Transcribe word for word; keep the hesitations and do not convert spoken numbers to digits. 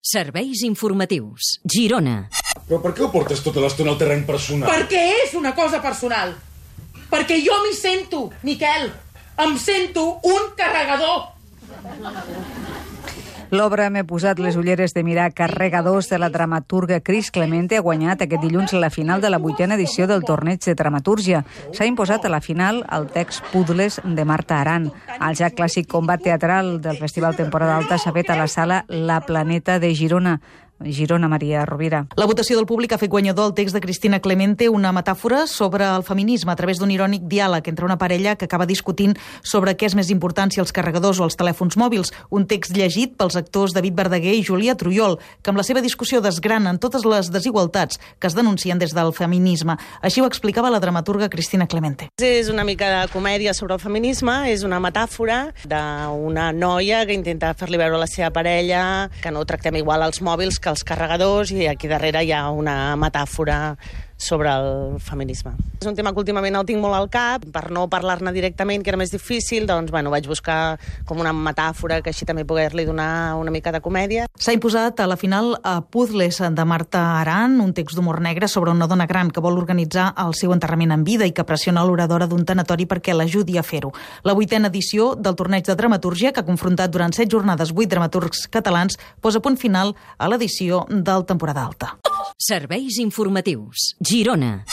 Serveis informatius. Girona. Però per què ho portes tota l'estona al terreny personal? Perquè és una cosa personal. Perquè jo m'hi sento, Miquel. Em sento un carregador. L'obra M'he posat les ulleres de mirar carregadors de la dramaturga Cris Clemente ha guanyat aquest dilluns la final de la vuitena edició del torneig de dramatúrgia. S'ha imposat a la final el text Puzles de Marta Aran. El ja clàssic combat teatral del Festival Temporada Alta s'ha fet a la sala La Planeta de Girona. Girona, Maria Rovira. La votació del públic ha fet guanyador el text de Cristina Clemente, una metàfora sobre el feminisme a través d'un irònic diàleg entre una parella que acaba discutint sobre què és més important, si els carregadors o els telèfons mòbils. Un text llegit pels actors David Verdaguer i Júlia Trujol, que amb la seva discussió desgranen totes les desigualtats que es denuncien des del feminisme. Així ho explicava la dramaturga Cristina Clemente. És una mica de comèdia sobre el feminisme, és una metàfora d'una noia que intenta fer-li veure a la seva parella que no tractem igual els mòbils que els carregadors, i aquí darrere hi ha una metàfora sobre el feminisme. És un tema que últimament el tinc molt al cap, per no parlar-ne directament, que era més difícil, doncs bueno, vaig buscar com una metàfora que així també poder-li donar una mica de comèdia. S'ha imposat a la final a Puzles de Marta Aran, un text d'humor negre sobre una dona gran que vol organitzar el seu enterrament en vida i que pressiona l'oradora d'un tanatori perquè l'ajudi a fer-ho. La vuitena edició del torneig de dramatúrgia, que ha confrontat durant set jornades vuit dramaturgs catalans, posa punt final a l'edició del Temporada Alta. Serveis informatius. Girona.